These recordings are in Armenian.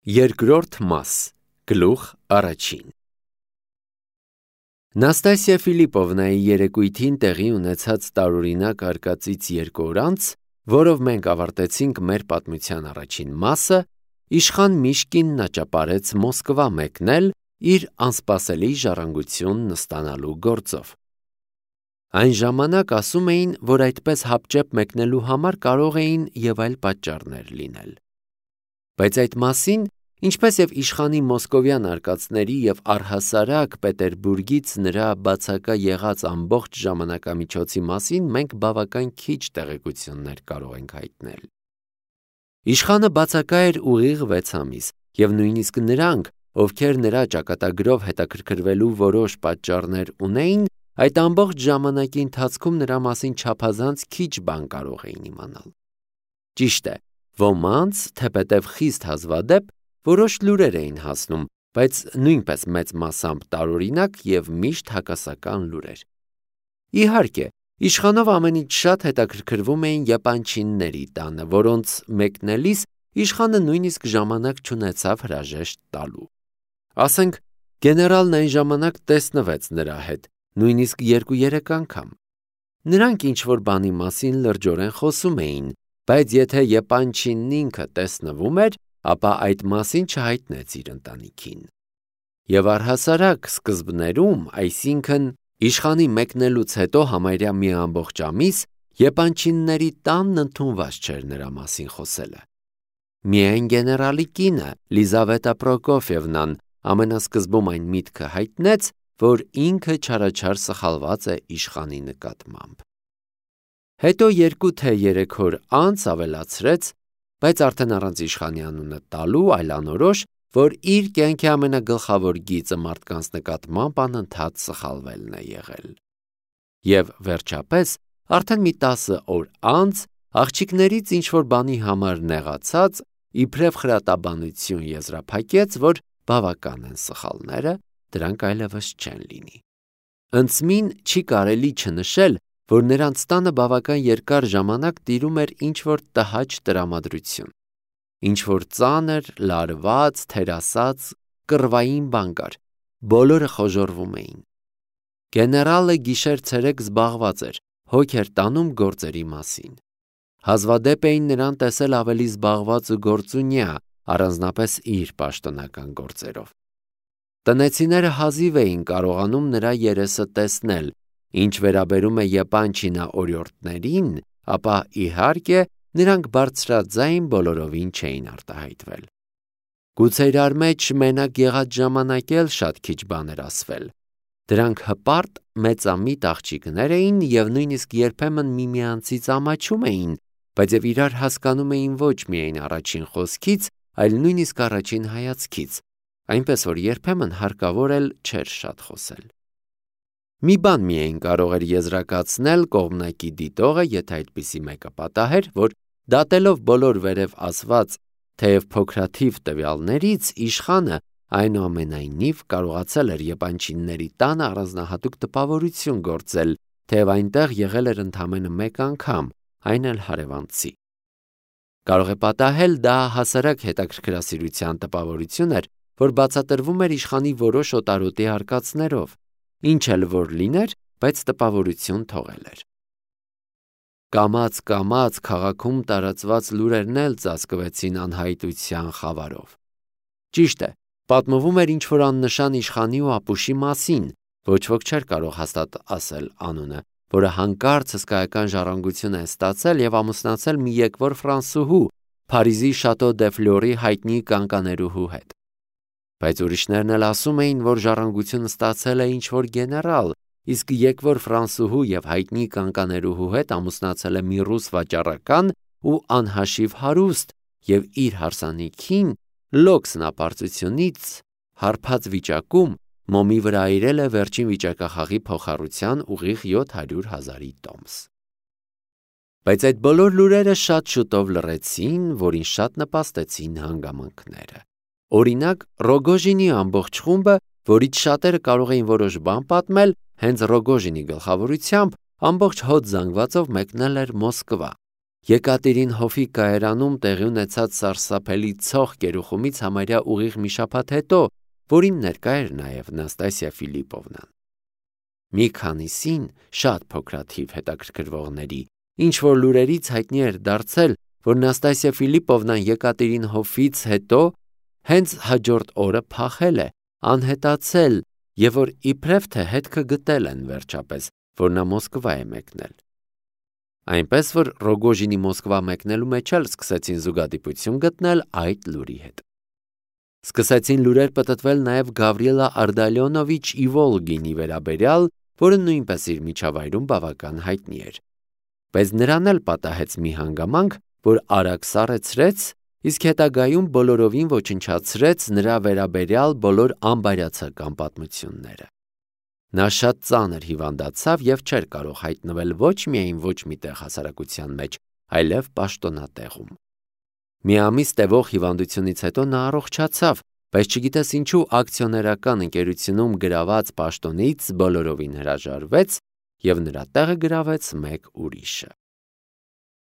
Երկրորդ մաս, գլուխ առաջին Նաստասիա Ֆիլիպովնայի երեկույթին տեղի ունեցած տարօրինակ արկածից 2 օր անց, որով մենք ավարտեցինք մեր պատմության առաջին մասը, իշխան Միշկինն աճապարեց Մոսկվա մեկնել իր անսպասելի ժառանգությունն ստանալու գործով։ Այն ժամանակ ասում էին, որ այդպես հապճեպ մեկնելու համար կարող էին և այլ պատճառներ լինել։ Բայց այդ մասին, ինչպես և իշխանի մոսկովյան արկածների և առհասարակ Պետերբուրգից նրա բացակա եղած ամբողջ ժամանակամիջոցի մասին մենք բավական քիչ տեղեկություններ կարող ենք հայտնել։ Իշխանը բացակա էր ուղիղ 6 ամիս, և նույնիսկ նրանք, ովքեր նրա ճակատագրով հետաքրքրվելու որոշ պատճառներ ունեին, այդ ամբողջ ժամանակի ընթացքում նրա մասին չափազանց քիչ բան կարող էին իմանալ։ Ճիշտ է, ոմանց, թեպետև խիստ հազվադեպ, որոշ լուրեր էին հասնում, բայց նույնպես մեծ մասամբ տարօրինակ և միշտ հակասական լուրեր։ Իհարկե, իշխանով ամենից շատ հետաքրքրվում էին եպանչինների տանը, որոնց մեկնելիս իշխանը նույնիսկ ժամանակ չունեցավ հրաժեշտ տալու։ Ասենք, գեներալն այն ժամանակ տեսնվեց նրա հետ, նույնիսկ 2-3 անգամ։ Նրանք ինչ-որ բանի մասին լրջորեն խոսում էին, բայց եթե եպանչինն ինքը տեսնվում էր, ապա այդ մասին չհայտնեց իր ընտանիքին։ Եվ առհասարակ սկզբներում, այսինքն իշխանի մեկնելուց հետո համարյա մի ամբողջ ամիս, եպանչինների տանն ընդունված չէր նրա մասին խոսելը։ Միայն գեներալի կինը, Լիզավետա Պրոկոֆիևնան, ամենասկզբում այն միտքը հայտնեց, որ ինքը չարաչար սխալված է իշխանի նկատմամբ։ Հետո 2 թե 3 օր անց ավելացրեց, բայց արդեն առանց իշխանի անունը տալու, այլանորոշ, որ իր կյանքի ամենագլխավոր գիծը մարդկանց նկատմամբ անընդհատ սխալվելն է եղել։ Եվ վերջապես, արդեն մի 10 օր անց, աղջիկներից ինչ-որ բանի համար նեղացած, իբրև խրատաբանություն եզրափակեց, որ բավական են սխալները, դրանք այլևս չեն լինի։ Ընծմին չի կարելի չնշել, որ նրանց տանը բավական երկար ժամանակ տիրում էր ինչ-որ տհաճ տրամադրություն։ Ինչ-որ ծանր, լարված, թերասած, կռվային բան կար, բոլորը խոժոռվում էին։ Գեներալը գիշեր-ցերեկ զբաղված էր, հոգ էր տանում գործերի մասին։ Հազվադեպ էին նրան տեսել ավելի զբաղված ու գործունյա, առանձնապես իր պաշտոնական գործերով։ Տնեցիները հազիվ էին կարողանում նրա երեսը տեսնել, ինչ վերաբերում է եպանչինա օրիորդներին, ապա իհարկե նրանք բարձրաձայն բոլորովին չէին արտահայտվել։ Գուցե իրար մեջ մենակ եղած ժամանակ էլ շատ քիչ բան էր ասվել։ Դրանք հպարտ, մեծամիտ աղջիկներ էին և նույնիսկ երբեմն միմյանցից ամաչում էին, բայց և իրար հասկանում էին ոչ միայն առաջին խոսքից, այլ նույնիսկ առաջին հայացքից, այնպես որ երբեմն հարկավոր էլ չէր շատ խոսել։ Մի բան միայն կարող էր եզրակացնել կողմնակի դիտողը, եթե այդպիսի մեկը պատահեր, որ դատելով բոլոր վերև ասված, թեև փոքրաթիվ տվյալներից, իշխանը այնուամենայնիվ կարողացել էր եպանչինների տանը առանձնահատուկ տպավորություն գործել, թեև այնտեղ եղել էր ընդամենը 1 անգամ, այն էլ հարևանցի։ Կարող է պատահել դա հասարակ հետաքրքրասիրության տպավորություն էր, որ բացատրվում էր իշխանի որոշ օտարոտի արկածներով, ինչ էլ որ լիներ, բայց տպավորություն թողել էր։ Կամաց-կամաց քաղաքում տարածված լուրերն էլ ծածկվեցին անհայտության խավարով։ Ճիշտ է, պատմվում էր ինչ-որ աննշան իշխանի ու ապուշի մասին, ոչ ոք չէր կարող հաստատ ասել անունը, որը հանկարծ հսկայական ժառանգություն է ստացել և ամուսնացել մի եկվոր ֆրանսուհու, Փարիզի Շատո դե Ֆլյորի հայտնի կանկաներուհու հետ։ Բայց ուրիշներն էլ ասում էին, որ ժառանգություն ստացել է ինչ-որ գեներալ, իսկ եկվոր ֆրանսուհու և հայտնի կանկաներուհու հետ ամուսնացել է մի ռուս վաճառական ու անհաշիվ հարուստ և իր հարսանիքին լոկ սնապարծությունից հարբած վիճակում մոմի վրա այրել է վերջին վիճակախաղի փոխառության ուղիղ 700,000 տոմս։ Բայց այդ բոլոր լուրերը շատ շուտով լռեցին, որին շատ նպաստեցին հանգամանքները։ Օրինակ, Ռոգոժինի ամբողջ խումբը, որից շատերը կարող էին որոշ բան պատմել, հենց Ռոգոժինի գլխավորությամբ ամբողջ հոտ զանգվածով մեկնել էր Մոսկվա։ Եկատերինհովի կայարանում տեղի ունեցած սարսափելի ցող գերուխումից համարյա ուղիղ մի շաբաթ հետո, որին ներկա էր նաև Նաստասիա Ֆիլիպովնան։ Մի քանիսին շատ փոքրաթիվ հետաքրքրվողների, ինչ որ լուրերից հայտնի էր դարձել, որ Նաստասիա Ֆիլիպովնան Եկատերինհովից հետո հենց հաջորդ օրը փախել է, անհետացել եւ որ իբրև թե հետքը գտել են վերջապես, որ նա Մոսկվա է մեկնել։ Այնպես որ Ռոգոժինի Մոսկվա մեկնելու մեջ էլ սկսեցին զուգադիպություն գտնել այդ լուրի հետ։ Սկսեցին լուրեր պտտվել նաև Գավրիելա Արդալյոնովիչ Իվոլգինի վերաբերյալ, որը նույնպես իր միջավայրում բավական հայտնի էր։ Բայց նրան էլ պատահեց մի հանգամանք, որ արագ սառեցրեց, իսկ հետագայում բոլորովին ոչնչացրեց նրա վերաբերյալ բոլոր անբարյացակամ պատմությունները։ Նա շատ ծանր հիվանդացավ եւ չէր կարող հայտնվել ոչ միայն ոչ մի տեղ հասարակության մեջ, այլև պաշտոնատեղում։ Մի ամիս տևող հիվանդությունից հետո նա առողջացավ, բայց չգիտես ինչու ակցիոներական ընկերությունում գրաված պաշտոնից բոլորովին հրաժարվեց եւ նրա տեղը գրավեց մեկ ուրիշը։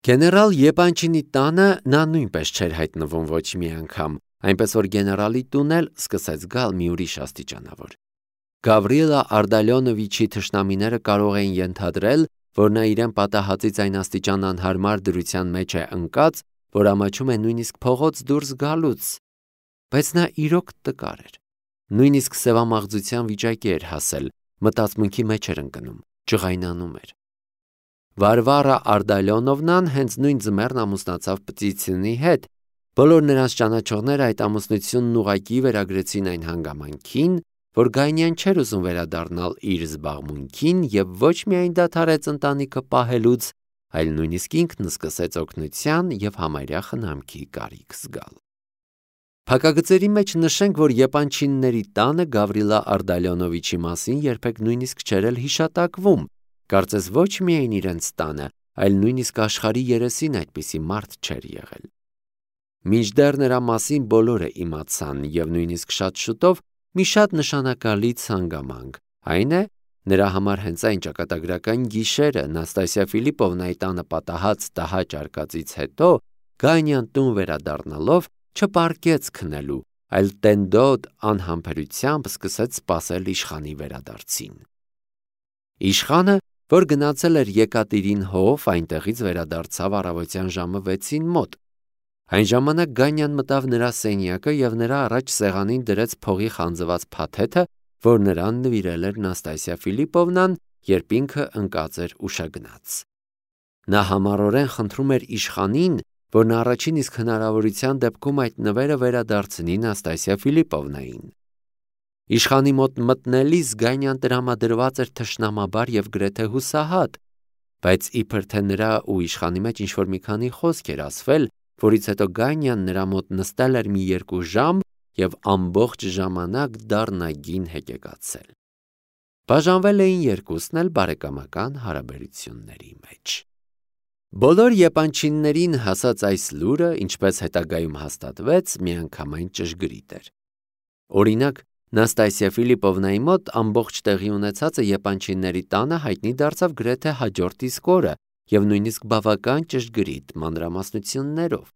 Գեներալ Եպանչինի տանը նա նույնպես չէր հայտնվում ոչ մի անգամ, այնպես որ գեներալի տուն էլ սկսեց գալ մի ուրիշ աստիճանավոր։ Գավրիելա Արդալյոնովիչի թշնամիները կարող էին ենթադրել, որ նա իրեն պատահածից այն աստիճան անհարմար դրության մեջ է ընկած, որ ամաչում է նույնիսկ փողոց դուրս գալուց, բայց նա իրոք տկար էր։ Նույնիսկ սևամաղձության վիճակի էր հասել, մտածմունքի մեջ էր ընկնում, ջղայնանում էր։ Վարվարա Արդալյոնովնան հենց նույն ձմեռն ամուսնացավ Պտիցինի հետ։ Բոլոր նրանց ճանաչողները այդ ամուսնությունն ուղղակի վերագրեցին այն հանգամանքին, որ Գայնյան չէր ուզում վերադառնալ իր զբաղմունքին եւ ոչ միայն դադարեց ընտանիքը պահելուց, այլ նույնիսկ ինքն սկսեց օգնության եւ համարյա խնամքի կարիք զգալ։ Փակագծերի մեջ նշենք, որ Եպանչինների տանը Գավրիելա Արդալյոնովիչի մասին երբեք նույնիսկ չէր էլ հիշատակվում, կարծես ոչ միայն իրենց տանը, այլ նույնիսկ աշխարհի երեսին այդպիսի մարդ չէր եղել։ Մինչդեռ նրա մասին բոլորը իմացան եւ նույնիսկ շատ շուտով մի շատ նշանակալից հանգամանք, այն է, նրա համար հենց այն ճակատագրական գիշերը Նաստասիա Ֆիլիպովնայի տանը պատահած տհաճ արկածից հետո Գանյան տուն վերադառնալով չպարկեց քնելու, այլ տենդոտ անհամբերությամբ սկսեց սպասել իշխանի վերադարձին։ Իշխանը, որ գնացել էր Եկատերինհով, այնտեղից վերադարձավ առավոտյան ժամը 6-ին մոտ։ Այն ժամանակ Գանյան մտավ նրա սենյակը եւ նրա առաջ սեղանին դրեց փողի խանձված փաթեթը, որ նրան նվիրել էր Նաստասիա Ֆիլիպովնան, երբ ինքը ընկած էր ուշագնաց։ Նա համառորեն խնդրում էր իշխանին, որ նա առաջին իսկ հնարավորության դեպքում այդ նվերը վերադարձնի Նաստասիա Ֆիլիպովնային։ Իշխանի մոտ մտնելիս Գանյան տրամադրված էր թշնամաբար եւ գրեթե հուսահատ, բայց իբր թե նրա ու իշխանի մեջ ինչ-որ մի քանի խոսք էր ասվել, որից հետո Գանյան նրա մոտ նստել էր մի 2 ժամ եւ ամբողջ ժամանակ դառնագին հեկեկացել։ Բաժանվել էին երկուսն էլ բարեկամական հարաբերությունների մեջ։ Բոլոր եպանչիններին հասած այս լուրը, ինչպես հետագայում հաստատվեց, միանգամայն ճշգրիտ էր։ Օրինակ, Նաստասիա Ֆիլիպովնայի մոտ ամբողջ տեղի ունեցածը եպանչինների տանը հայտնի դարձավ գրեթե հաջորդ իսկ օրը եւ նույնիսկ բավական ճշգրիտ մանրամասնություններով։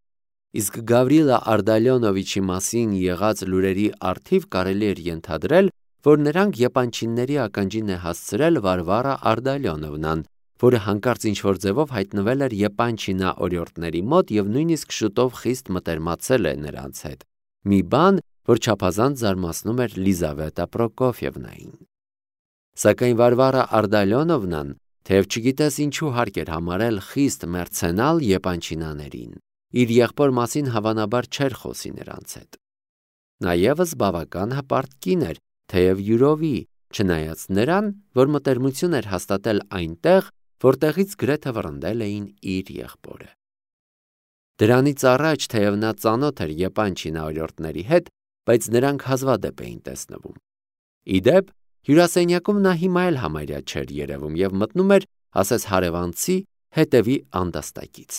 Իսկ Գավրիելա Արդալյոնովիչի մասին եղած լուրերի առթիվ կարելի էր ենթադրել, որ նրանք եպանչինների ականջին է հասցրել Վարվարա Արդալյոնովնան, որը հանկարծ ինչ-որ ձևով հայտնվել էր Եպանչինա օրիորդների մոտ եւ նույնիսկ շուտով խիստ մտերմացել է նրանց հետ։ Մի բան, որ չափազանց զարմացնում էր Լիզավետա Պրոկոֆիևնային։ Սակայն Վարվարա Արդալյոնովնան, թեև չգիտես ինչու հարկ էր համարել խիստ մերցենալ Եպանչինաներին, իր եղբոր մասին հավանաբար չէր խոսի նրանց հետ։ Նա եւս բավական հպարտ կին էր, թեև յուրովի, չնայած նրան, որ մտերմություն էր հաստատել այնտեղ, որտեղից գրեթե վռնդել էին իր եղբորը։ Դրանից առաջ, թեև նա ծանոթ էր Եպանչինա օրիորդների հետ, բայց նրանք հազվադեպ էին տեսնվում։ Իդեպ, հյուրասենյակում նա հիմա էլ համարյա չէր երևում եւ մտնում էր, ասես հարևանցի, հետևի անդաստակից։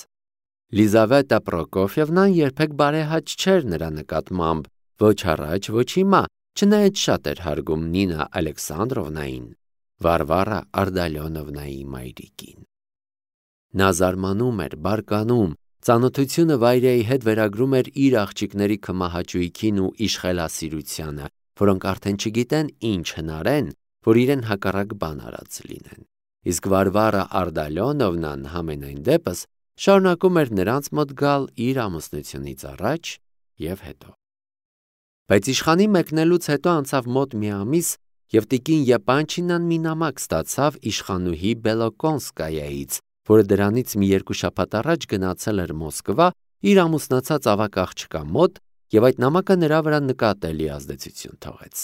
Լիզավետա Պրոկոֆիևնան երբեք բարեհաճ չէր նրա նկատմամբ, ոչ առաջ, ոչ հիմա, չնայած շատ էր հարգում Նինա Ալեքսանդրովնային, Վարվարա Արդալյոնովնայի մայրիկին։ Նա զարմանում էր, բարկանում, ծանոթությունը վայրեի հետ վերագրում էր իր աղջիկների քմահաճույքին ու իշխելասիրությանը, որոնք արդեն չգիտեն ինչ հնարեն, որ իրեն հակառակ բան արած լինեն։ Իսկ Վարվարա Արդալյոնովնան համենայն դեպս շարունակում էր նրանց մոտ գալ իր ամուսնությունից առաջ և հետո։ Բայց իշխանի մեկնելուց հետո անցավ մոտ մի ամիս, և տիկին Եպանչինան մի նամակ ստացավ իշխանուհի Բելոկոնսկայայից, որը դրանից մի 2 շաբաթ առաջ գնացել էր Մոսկվա իր ամուսնացած ավագ աղջկա մոտ և այդ նամակը նրա վրա նկատելի ազդեցություն թողեց։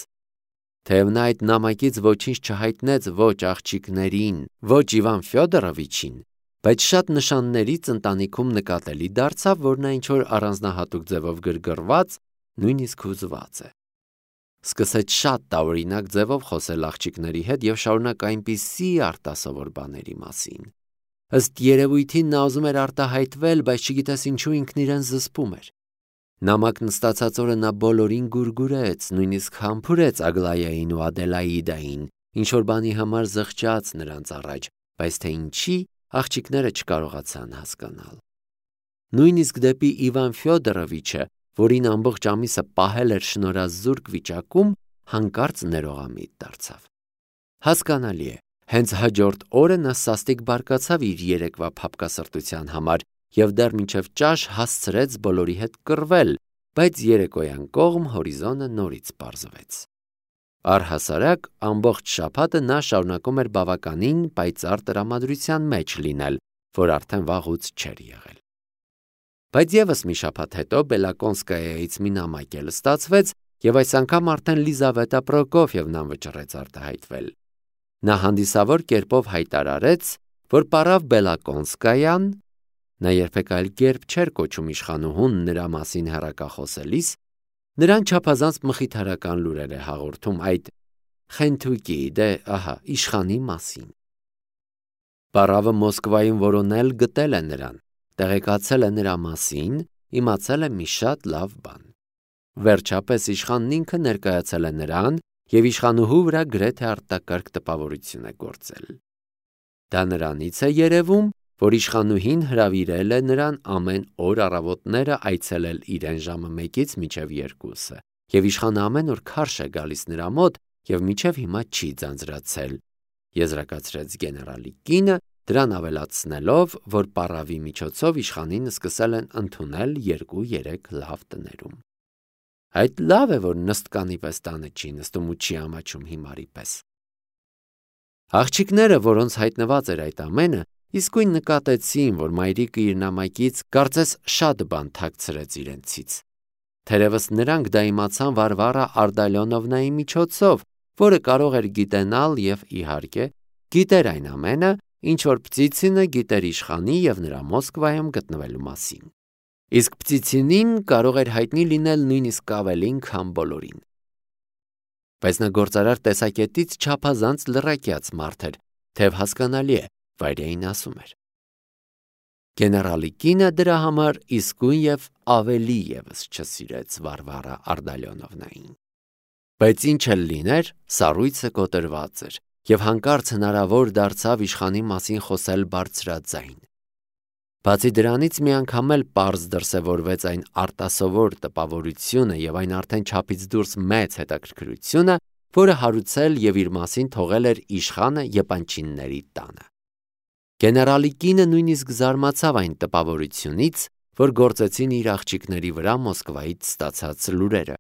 Թեև նա այդ նամակից ոչինչ չհայտնեց ոչ աղջիկներին, ոչ Իվան Ֆյոդորովիչին, բայց շատ նշաններից ընտանիքում նկատելի դարձավ, որ նա ինչ-որ առանձնահատուկ ձևով գրգռված, նույնիսկ հուզված է։ Սկսեց շատ տարօրինակ ձևով խոսել աղջիկների հետ և շարունակ այնպիսի արտասովոր բաների մասին։ Ըստ երևույթին նա ուզում էր արտահայտվել, բայց չգիտես ինչու ինքն իրեն զսպում էր։ Նամակն ստացած օրը նա բոլորին գուրգուրեց, նույնիսկ համբուրեց Ագլայային ու Ադելաիդային, ինչ-որ բանի համար զղջաց նրանց առաջ, բայց թե ինչի, աղջիկները չկարողացան հասկանալ։ Նույնիսկ դեպի Իվան Ֆյոդորովիչը, որին ամբողջ ամիսը պահել էր շնորհազուրկ վիճակում, հանկարծ ներողամիտ դարձավ։ Հասկանալի է, հենց հաջորդ օրը նա սաստիկ բարկացավ իր երեկվա փափկասրտության համար և դեռ մինչև ճաշ հասցրեց բոլորի հետ կռվել, բայց երեկոյան կողմ հորիզոնը նորից պարզվեց։ Առհասարակ ամբողջ շաբաթը նա շարունակում էր բավականին պայծառ տրամադրության մեջ լինել, որ արդեն վաղուց չէր եղել։ Բայց ևս մի շաբաթ հետո Բելոկոնսկայայից մի նամակ էլ ստացվեց, և այս անգամ արդեն Լիզավետա Պրոկոֆիևնան վճռեց արտահայտվել։ Նա հանդիսավոր կերպով հայտարարեց, որ պարավ Բելոկոնսկայան, նա երբեք այլ կերպ չէր կոչում իշխանուհուն նրա մասին հեռակախոսելիս, նրան չափազանց մխիթարական լուրեր է հաղորդում այդ խենթուկի, իշխանի մասին։ Պարավը Մոսկվայում որոնել գտել է նրան, տեղեկացել է նրա մասին, իմացել է մի շատ լավ բան։ Վերջապես իշխանն ինքը ներկայացել է նրան և իշխանուհու վրա գրեթե արտակարգ տպավորություն է գործել։ Դա նրանից է երևում, որ իշխանուհին հրավիրել է նրան ամեն օր առավոտները այցելել իրեն ժամը 1-ից մինչև 2-ը, և իշխանը ամեն օր քարշ է գալիս նրա մոտ և մինչև հիմա չի ձանձրացել, եզրակացրեց գեներալի կինը, դրան ավելացնելով, որ պարավի միջոցով իշխանին սկսել են ընդունել 2-3 լավ տներում։ Այդ լավ է, որ նստկանի պես տանը չի նստում ու չի ամաչում հիմարի պես։ Աղջիկները, որոնց հայտնված էր այդ ամենը, իսկույն նկատեցին, որ մայրիկը իր նամակից կարծես շատ բան թաքցրեց իրենցից։ Թերևս նրանք դա իմացան Վարվարա Արդալյոնովնայի միջոցով, որը կարող էր գիտենալ և, իհարկե, գիտեր այն ամենը, ինչ որ Պտիցինը գիտեր իշխանի և նրա Մոսկվայում գտնվելու մասին։ Իսկ Պտիցինին կարող էր հայտնի լինել նույնիսկ ավելին, քան բոլորին։ Բայց նա գործարար տեսակետից չափազանց լռակյաց մարդ էր, թեև հասկանալի է, վայրեին ասում էր։ Գեներալի կինը դրա համար իսկույն և ավելի ևս չսիրեց Վարվարա Արդալյոնովնային։ Բայց ինչ էլ լիներ, սառույցը կոտրված էր, և հանկարծ հնարավոր դարձավ իշխանի մասին խոսել բարձրաձայն։ Բացի դրանից մի անգամ էլ պարզ դրսևորվեց այն արտասովոր տպավորությունը և այն արդեն չափից դուրս մեծ հետաքրքրությունը, որը հարուցել և իր մասին թողել էր իշխանը Եպանչինների տանը։ Գեներալի կինը նույնիսկ զարմացավ այն տպավորությունից, որ գործեցին իր աղջիկների վրա Մոսկվայից ստացած լուրերը։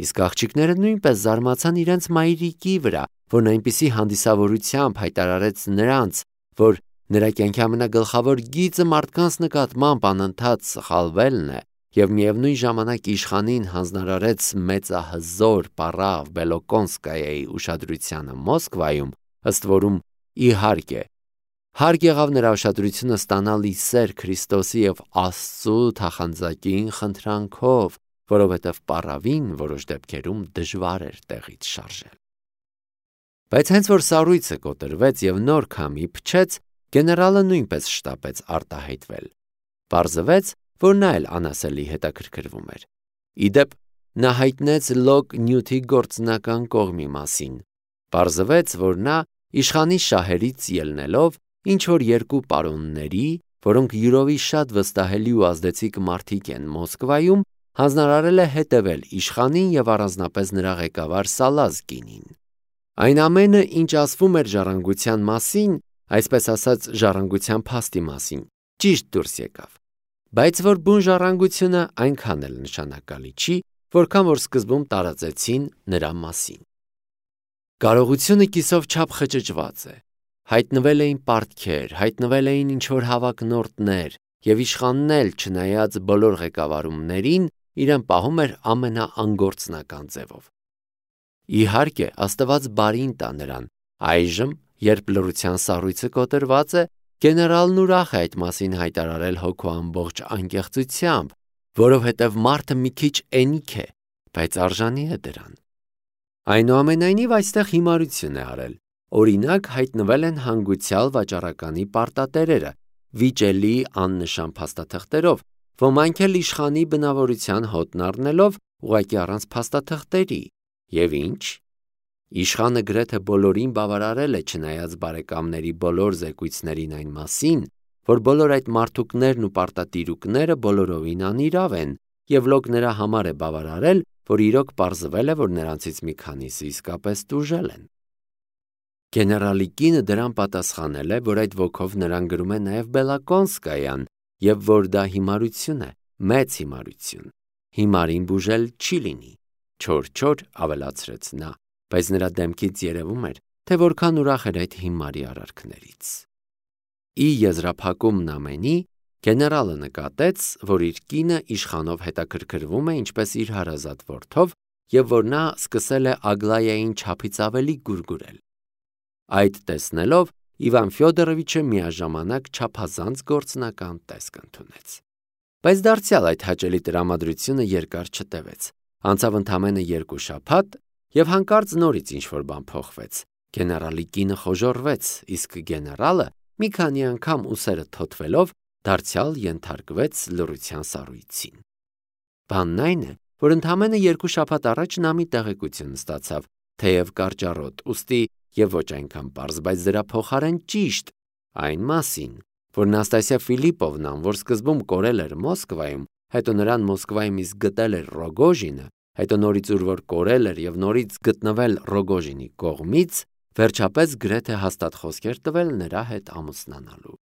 Իսկ աղջիկները նույնպես զարմացան իրենց մայրիկի վրա, որն այնպիսի հանդիսավորությամբ հայտարարեց նրանց, որ նրա կյանքի ամենագլխավոր գիծը մարդկանց նկատմամբ անընդհատ սխալվելն է, և միևնույն ժամանակ իշխանին հանձնարարեց մեծահզոր պարավ Բելոկոնսկայայի ուշադրությանը Մոսկվայում, ըստ որում, իհարկե, հարկ եղավ նրա ուշադրությունը ստանալ ի սեր Քրիստոսի և Աստծու թախանձակին խնդրանքով, որովհետև պարավին որոշ դեպքերում դժվար էր տեղից շարժել։ Բայց հենց որ սառույցը կոտրվեց և նոր քամի փչեց, գեներալը նույնպես շտապեց արտահայտվել։ Պարզվեց, որ նա էլ անասելի հետաքրքրվում էր։ Ի դեպ, նա հայտնեց լոկ նյութի գործնական կողմի մասին։ Պարզվեց, որ նա իշխանի շահերից ելնելով ինչ որ երկու պարոնների, որոնք յուրովի շատ վստահելի ու ազդեցիկ մարդիկ են Մոսկվայում, հանձնարարել է հետևել իշխանին և առանձնապես նրա ղեկավար Սալազկինին։ Այն ամենը, ինչ ասվում էր ժառանգության մասին, այսպես ասած ժառանգության փաստի մասին, ճիշտ դուրս եկավ։ Բայց որ բուն ժառանգությունը այնքան էլ նշանակալի չի, որքան որ սկզբում տարածեցին նրա մասին։ Կարողությունը կիսով չափ խճճված է։ Հայտնվել էին պարտքեր, հայտնվել էին ինչ-որ հավակնորդներ, և իշխանն էլ, չնայած բոլոր ղեկավարումներին, իրեն պահում էր ամենաանգործնական ձևով։ Իհարկե, Աստված բարին տա նրան, այժմ, երբ լռության սառույցը կոտրված է, գեներալն ուրախ է այդ մասին հայտարարել հոգու ամբողջ անկեղծությամբ, որովհետև մարդը մի քիչ էնիկ է, բայց արժանի է դրան։ Այնուամենայնիվ այստեղ հիմարություն է արել։ Օրինակ, հայտնվել են հանգուցյալ վաճառականի պարտատերերը, վիճելի աննշան փաստաթղթերով, ոմանք էլ իշխանի բնավորության հոտն առնելով ուղղակի առանց փաստաթղթերի։ Եվ ինչ։ Իշխանը գրեթե բոլորին բավարարել է, չնայած բարեկամների բոլոր զեկույցներին այն մասին, որ բոլոր այդ մարդուկներն ու պարտատիրուկները բոլորովին անիրավ են, և լոկ նրա համար է բավարարել, որ իրոք պարզվել է, որ նրանցից մի քանիսը իսկապես տուժել են։ Գեներալի կինը դրան պատասխանել է, որ այդ ոգով նրան գրում է նաև Բելակոնսկայան, և որ դա հիմարություն է, մեծ հիմարություն։ Հիմարին բուժել չի լինի, չոր ավելացրեց նա, բայց նրա դեմքից երևում էր, թե որքան ուրախ էր այդ հիմարի արարքներից։ Ի եզրափակումն ամենի, գեներալը նկատեց, որ իր կինը իշխանով հետաքրքրվում է ինչպես իր հարազատ որդով, և որ նա սկսել է Ագլայային չափից ավելի գուրգուրել։ Այդ տեսնելով Իվան Ֆյոդորովիչը միաժամանակ չափազանց գործնական տեսք ընդունեց։ Բայց դարձյալ այդ հաճելի տրամադրությունը երկար չտևեց։ Անցավ ընդամենը 2 շաբաթ, և հանկարծ նորից ինչ-որ բան փոխվեց։ Գեներալի կինը խոժոռվեց, իսկ գեներալը, մի քանի անգամ ուսերը թոթվելով, դարձյալ ենթարկվեց լռության սառույցին։ Բանն այն է, որ ընդամենը 2 շաբաթ առաջ նա մի տեղեկություն ստացավ, թեև կարճառոտ, ուստի և ոչ այնքան պարզ, բայց դրա փոխարեն ճիշտ, այն մասին, որ Նաստասիա Ֆիլիպովնան, որ սկզբում կորել էր Մոսկվայում, հետո նրան Մոսկվայում իսկ գտել էր Ռոգոժինը, հետո նորից ուր որ կորել էր և նորից գտնվել Ռոգոժինի կողմից, վերջապես գրեթե հաստատ խոսքեր տվել նրա հետ ամուսնանալու։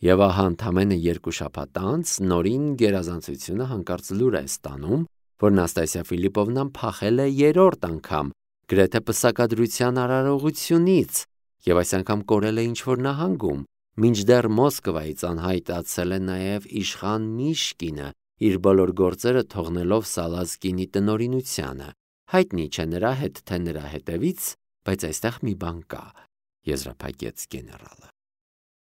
Եվ ահա ընդամենը 2 շաբաթ անց նորին գերազանցությունը հանկարծ լուր է ստանում, որ Նաստասիա Ֆիլիպովնան փախել է 3-րդ անգամ, գրեթե պսակադրության արարողությունից, և այս անգամ կորել է ինչ-որ նահանգում, մինչդեռ Մոսկվայից անհայտացել է նաև իշխան Միշկինը, իր բոլոր գործերը թողնելով Սալազկինի տնօրինությանը։ Հայտնի չէ նրա հետ, թե նրա հետևից, բայց այստեղ մի բան կա, եզրափակեց գեներալը։